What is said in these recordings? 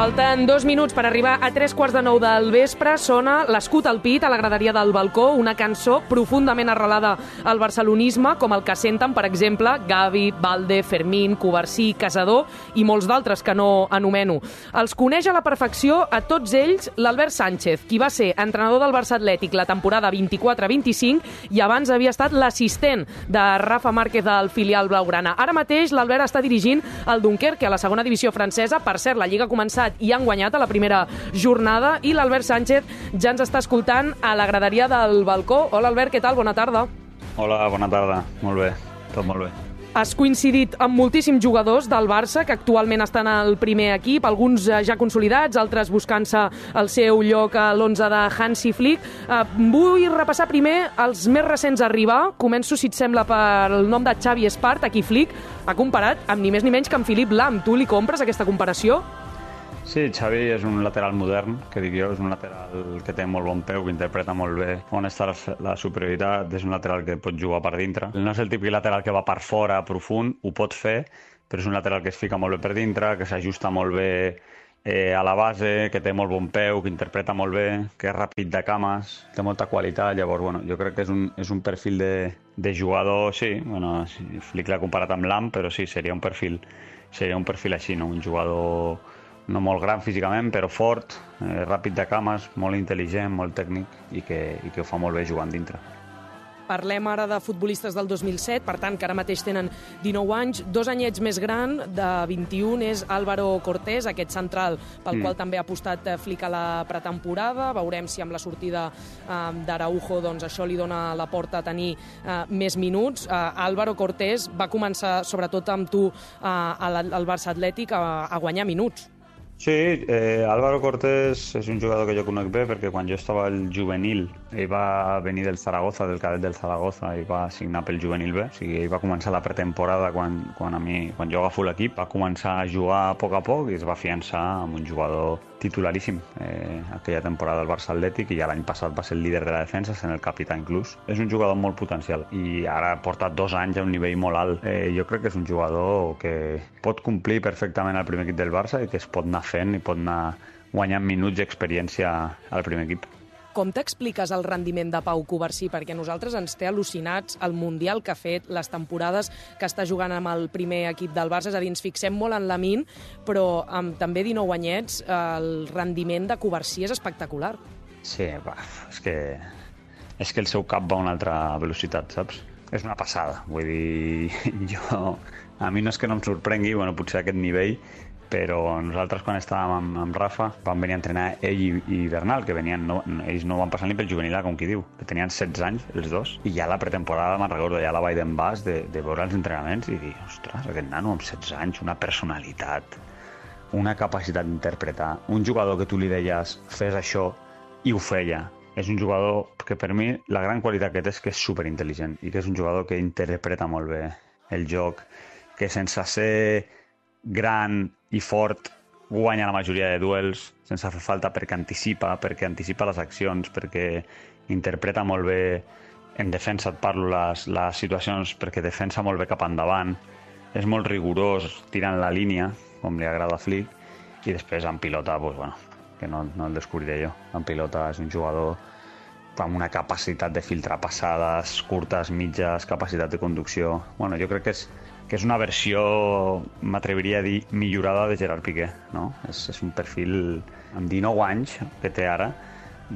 Falten 2 minuts per arribar a 3:45 del vespre. Sona l'escut al pit a la graderia del balcó, una cançó profundament arrelada al barcelonisme, com el que senten, per exemple, Gavi, Valde, Fermín, Covarsí, Casador i molts d'altres que no anomeno. Els coneix a la perfecció a tots ells l'Albert Sánchez, qui va ser entrenador del Barça Atlètic la temporada 24-25 i abans havia estat l'assistent de Rafa Márquez al filial blaugrana. Ara mateix l'Albert està dirigint el Dunkerque a la segona divisió francesa. Per cert, la Lliga ha començat i han guanyat a la primera jornada i l'Albert Sánchez ja ens està escoltant a la graderia del balcó. Hola Albert, què tal? Bona tarda. Hola, bona tarda. Molt bé, tot molt bé. Has coincidit amb moltíssims jugadors del Barça que actualment estan al primer equip, alguns ja consolidats, altres buscant-se el seu lloc a l'11 de Hansi Flick. Vull repassar primer els més recents a arribar. Començo, si et sembla, pel nom de Xavi Espart, a qui Flick ha comparat amb ni més ni menys que amb Philipp Lahm. Tu li compres aquesta comparació? Sí, Xavi és un lateral modern, que dic jo, és un lateral que té molt bon peu, que interpreta molt bé on està la superioritat, és un lateral que pot jugar per dintre. No és el típic lateral que va per fora, profund, ho pot fer, però és un lateral que es fica molt bé per dintre, que s'ajusta molt bé a la base, que té molt bon peu, que interpreta molt bé, que és ràpid de cames, té molta qualitat. Llavors, bueno, jo crec que és un perfil de jugador, sí, bueno, Flick l'ha comparat amb Lahm, però sí, seria un perfil així, no? Un jugador no molt gran físicament, però fort, ràpid de cames, molt intel·ligent, molt tècnic i que ho fa molt bé jugant dintre. Parlem ara de futbolistes del 2007, per tant, que ara mateix tenen 19 anys. 2 anyets més gran, de 21, és Álvaro Cortés, aquest central pel qual també ha apostat Flick a la pretemporada. Veurem si amb la sortida d'Araujo doncs, això li dona la porta a tenir més minuts. Álvaro Cortés va començar, sobretot amb tu, al Barça Atlètic, a guanyar minuts. Sí, Álvaro Cortés és un jugador que jo conec bé perquè quan jo estava al juvenil ell va venir del Zaragoza, del cadet del Zaragoza, i va signar pel juvenil B. O sigui, ell va començar la pretemporada quan jo agafo l'equip, va començar a jugar a poc i es va afiançar amb un jugador titularíssim aquella temporada del Barça Atlètic, i ja l'any passat va ser el líder de la defensa, sent el capità inclús. És un jugador molt potencial i ara porta 2 anys a un nivell molt alt. Jo crec que és un jugador que pot complir perfectament al primer equip del Barça i que es pot anar fent i pot anar guanyant minuts d'experiència al primer equip. Com t'expliques el rendiment de Pau Covarsí? Perquè a nosaltres ens té al·lucinats el Mundial que ha fet, les temporades que està jugant amb el primer equip del Barça. És a dir, ens fixem molt en Lamine, però amb també 19 anyets el rendiment de Covarsí és espectacular. Sí, és que el seu cap va a una altra velocitat, saps? És una passada. Vull dir, a mi no és que no em sorprengui, bueno, potser a aquest nivell, però nosaltres quan estàvem amb Rafa vam venir a entrenar ell i Bernal, que ells no van passar ni pel juvenil, com qui diu, que tenien 16 anys els dos, i ja la pretemporada me'n recordo, ja la vaig d'en bas de veure els entrenaments i dir, ostres, aquest nano amb 16 anys, una personalitat, una capacitat d'interpretar, un jugador que tu li deies fes això i ho feia. És un jugador que per mi la gran qualitat que té és que és superintel·ligent i que és un jugador que interpreta molt bé el joc, que sense ser gran i fort guanya la majoria de duels sense fer falta, perquè anticipa les accions, perquè interpreta molt bé en defensa, et parlo, les situacions, perquè defensa molt bé cap endavant, és molt rigorós tirant la línia, com li agrada a Flick, i després en pilota, doncs, bueno, que no el descobriré jo. En pilota és un jugador amb una capacitat de filtrar passades curtes, mitges, capacitat de conducció. Bueno, jo crec que és una versió, m'atreviria a dir, millorada de Gerard Piqué, no? És un perfil amb 19 anys que té ara,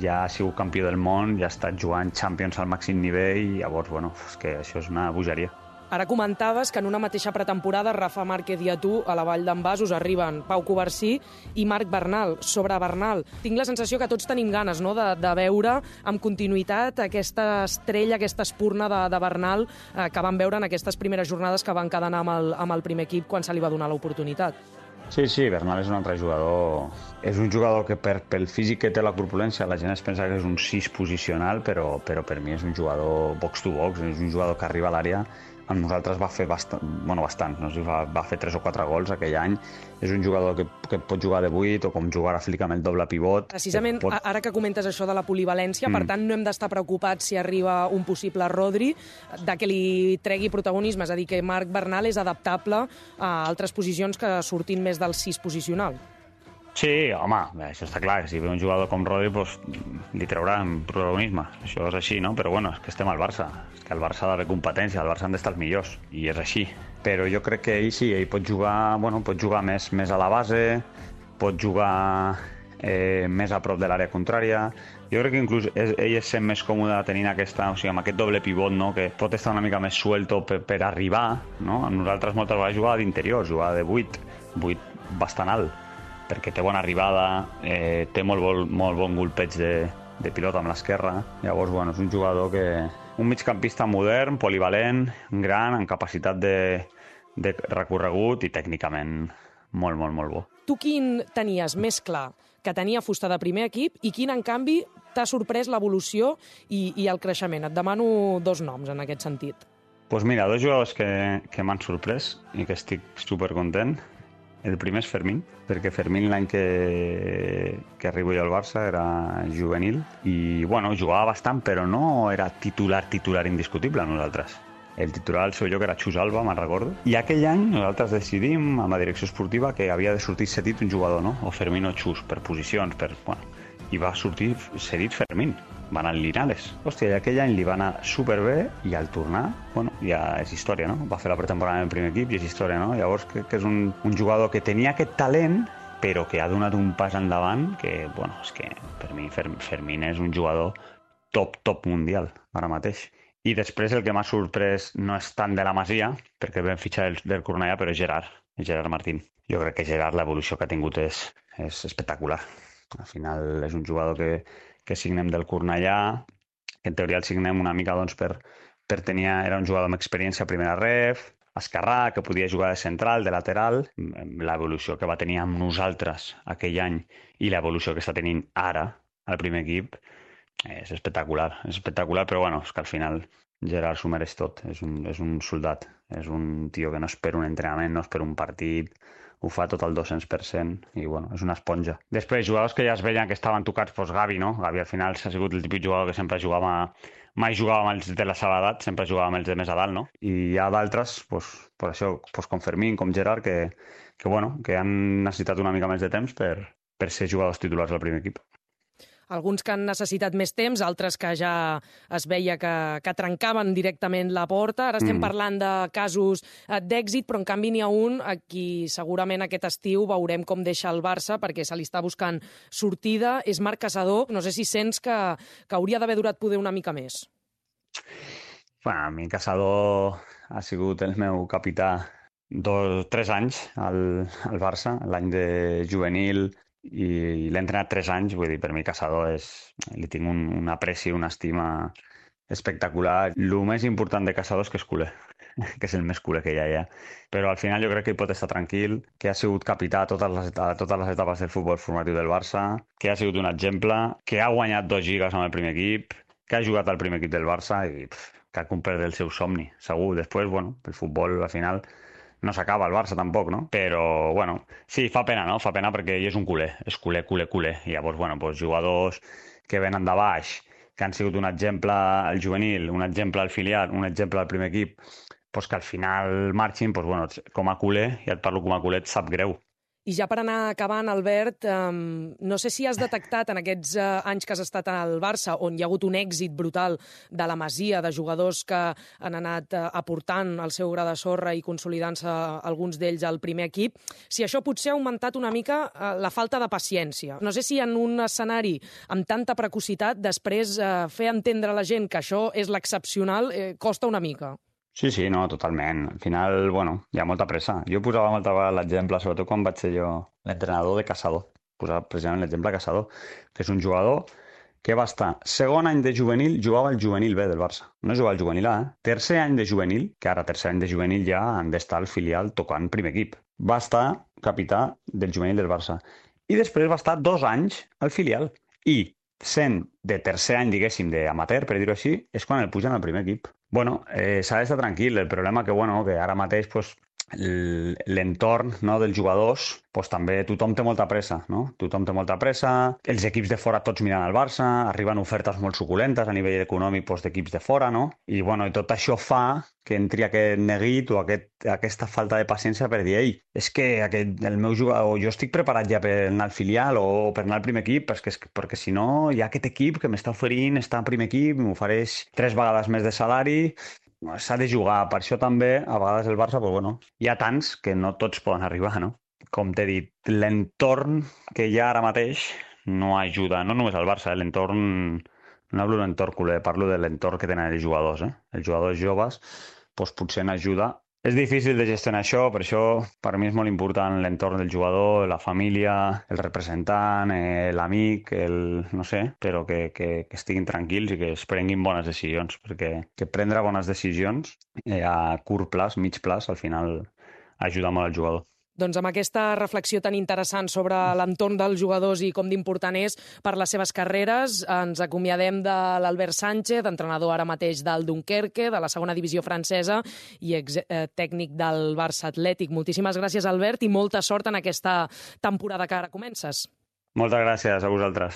ja ha sigut campió del món, ja ha estat jugant Champions al màxim nivell, i llavors, bueno, és que això és una bogeria. Ara comentaves que en una mateixa pretemporada Rafa Márquez i a tu, a la Vall d'en Bas, us arriben Pau Covarsí i Marc Bernal. Sobre Bernal, tinc la sensació que tots tenim ganes, no?, de veure amb continuïtat aquesta estrella, aquesta espurna de Bernal que vam veure en aquestes primeres jornades que van quedar amb el primer equip quan se li va donar l'oportunitat. Sí, Bernal és un altre jugador. És un jugador que pel físic que té, la corpulència, la gent es pensa que és un 6 posicional, però per mi és un jugador box to box, és un jugador que arriba a l'àrea. Amb nosaltres va fer bastant, no sé, va fer 3 o 4 gols aquell any. És un jugador que pot jugar de 8 o com jugar a Flick amb el doble pivot. Precisament, ara que comentes això de la polivalència, per tant, no hem d'estar preocupats si arriba un possible Rodri, de que li tregui protagonisme, és a dir, que Marc Bernal és adaptable a altres posicions que surtin més del 6 posicional. Sí, home, això està clar, que si ve un jugador com Rodri, doncs, li trauran protagonisme. Això és així, no? Però bueno, és que estem al Barça. És que el Barça ha d'haver competència, el Barça han d'estar els millors, i és així. Però jo crec que ell sí, ell pot jugar, bueno, pot jugar més a la base, pot jugar més a prop de l'àrea contrària. Jo crec que inclús ell es sent més còmode tenint aquesta, o sigui, amb aquest doble pivot, no? Que pot estar una mica més suelto per arribar, no? Nosaltres moltes vegades jugava d'interior, jugava de 8 bastant alt, perquè té bona arribada, té molt bon golpeig de pilota amb l'esquerra. Llavors, bueno, és un jugador que... Un migcampista modern, polivalent, gran, amb capacitat de recorregut i tècnicament molt bo. Tu quin tenies més clar que tenia fusta de primer equip i quin, en canvi, t'ha sorprès l'evolució i el creixement? Et demano 2 noms en aquest sentit. Doncs mira, 2 jugadors que m'han sorprès i que estic supercontent. El primer és Fermín, perquè Fermín l'any que arribo jo al Barça era juvenil i, bueno, jugava bastant, però no era titular indiscutible a nosaltres. El titular al seu lloc era Xus Alba, me'n recordo. I aquell any nosaltres decidim, amb la direcció esportiva, que havia de sortir cedit un jugador, no? O Fermín o Xus, per posicions, i va sortir cedit Fermín. Va anar al Linares. Hòstia, i aquell any li va anar superbé i al tornar, bueno, ja és història, no? Va fer la pretemporada en el primer equip i és història, no? Llavors crec que és un jugador que tenia aquest talent, però que ha donat un pas endavant que, bueno, és que per mi Fermín és un jugador top mundial ara mateix. I després el que m'ha sorprès no és tant de la Masia, perquè vam fitxar del Cornellà, però és Gerard Martín. Jo crec que Gerard, l'evolució que ha tingut és espectacular. Al final és un jugador que signem del Cornellà, que en teoria el signem una mica doncs, per tenir... Era un jugador amb experiència a primera ref, esquerrà, que podia jugar de central, de lateral. L'evolució que va tenir amb nosaltres aquell any i l'evolució que està tenint ara al primer equip és espectacular, però bueno, és que al final Gerard s'ho mereix tot, és un soldat, és un tio que no espera un entrenament, no espera un partit, ho fa tot al 200% i bueno, és una esponja. Després, jugadors que ja es veien que estaven tocats, doncs Gavi, no? Gavi al final s'ha sigut el típic jugador que sempre mai jugava amb els de la seva edat, sempre jugava amb els de més a dalt, no? I hi ha d'altres, per això, com Fermín, com Gerard, que han necessitat una mica més de temps per ser jugadors titulars del primer equip. Alguns que han necessitat més temps, altres que ja es veia que trencaven directament la porta. Ara estem parlant de casos d'èxit, però en canvi n'hi ha un a qui segurament aquest estiu veurem com deixa el Barça perquè se li està buscant sortida. És Marc Caçador. No sé si sents que hauria d'haver durat poder una mica més. Bueno, a mi Caçador ha sigut el meu capità 3 anys al Barça, l'any de juvenil, i l'he entrenat 3 anys, vull dir, per mi Caçador li tinc un apreci, una estima espectacular. El més important de Caçador és que és culer, que és el més culer que hi ha. Però al final jo crec que hi pot estar tranquil, que ha sigut capità a totes les etapes del futbol formatiu del Barça, que ha sigut un exemple, que ha guanyat 2 lligues amb el primer equip, que ha jugat al primer equip del Barça i que ha complert el seu somni, segur. Després, bueno, el futbol al final no s'acaba al Barça tampoc, no? Però, bueno, sí, fa pena, no? Fa pena perquè ell és un culer, és culer. I llavors, bueno, doncs jugadors que venen de baix, que han sigut un exemple al juvenil, un exemple al filial, un exemple al primer equip, doncs que al final marxin, doncs, bueno, com a culer, ja et parlo com a culer, et sap greu. I ja per anar acabant, Albert, no sé si has detectat en aquests anys que has estat al Barça, on hi ha hagut un èxit brutal de la Masia, de jugadors que han anat aportant el seu gra de sorra i consolidant-se alguns d'ells al primer equip, si això potser ha augmentat una mica la falta de paciència. No sé si en un escenari amb tanta precocitat, després fer entendre a la gent que això és l'excepcional costa una mica. Sí, no, totalment. Al final, bueno, hi ha molta pressa. Jo posava molta vegada l'exemple, sobretot quan vaig ser jo l'entrenador de Caçador. Posava precisament l'exemple de Caçador, que és un jugador que va estar segon any de juvenil, jugava al juvenil B del Barça. No jugava al juvenil A, Tercer any de juvenil, que ara tercer any de juvenil ja han d'estar al filial tocant primer equip. Va estar capità del juvenil del Barça. I després va estar 2 anys al filial. I sent de tercer any, diguéssim, d'amateur, per dir-ho així, és quan el pugen al primer equip. Bueno, s'ha d'estar tranquil. El problema que ara mateix l'entorn, no, dels jugadors, doncs també tothom té molta pressa, no? Tothom té molta pressa, els equips de fora tots miren al Barça, arriben ofertes molt suculentes a nivell econòmic doncs, d'equips de fora, no? I, bueno, i tot això fa que entri aquest neguit o aquesta falta de paciència per dir, ei, és que el meu jugador, jo estic preparat ja per anar al filial o per anar al primer equip, perquè si no hi ha aquest equip que m'està oferint estar al primer equip, m'ofereix 3 vegades més de salari, s'ha de jugar. Per això també, a vegades el Barça, doncs, bueno, hi ha tants que no tots poden arribar, no? Com t'he dit, l'entorn que hi ha ara mateix no ajuda, no només al Barça, l'entorn, no hablo de l'entorn culer, parlo de l'entorn que tenen els jugadors, Els jugadors joves, doncs potser n'ajuda. És difícil de gestionar això, per això per mi és molt important l'entorn del jugador, la família, el representant, l'amic, no sé, però que estiguin tranquils i que es prenguin bones decisions, perquè que prendre bones decisions a curt plaç, mig plaç, al final ajuda molt al jugador. Doncs amb aquesta reflexió tan interessant sobre l'entorn dels jugadors i com d'important és per les seves carreres, ens acomiadem de l'Albert Sánchez, entrenador ara mateix del Dunkerque, de la segona divisió francesa i tècnic del Barça Atlètic. Moltíssimes gràcies, Albert, i molta sort en aquesta temporada que ara comences. Moltes gràcies a vosaltres.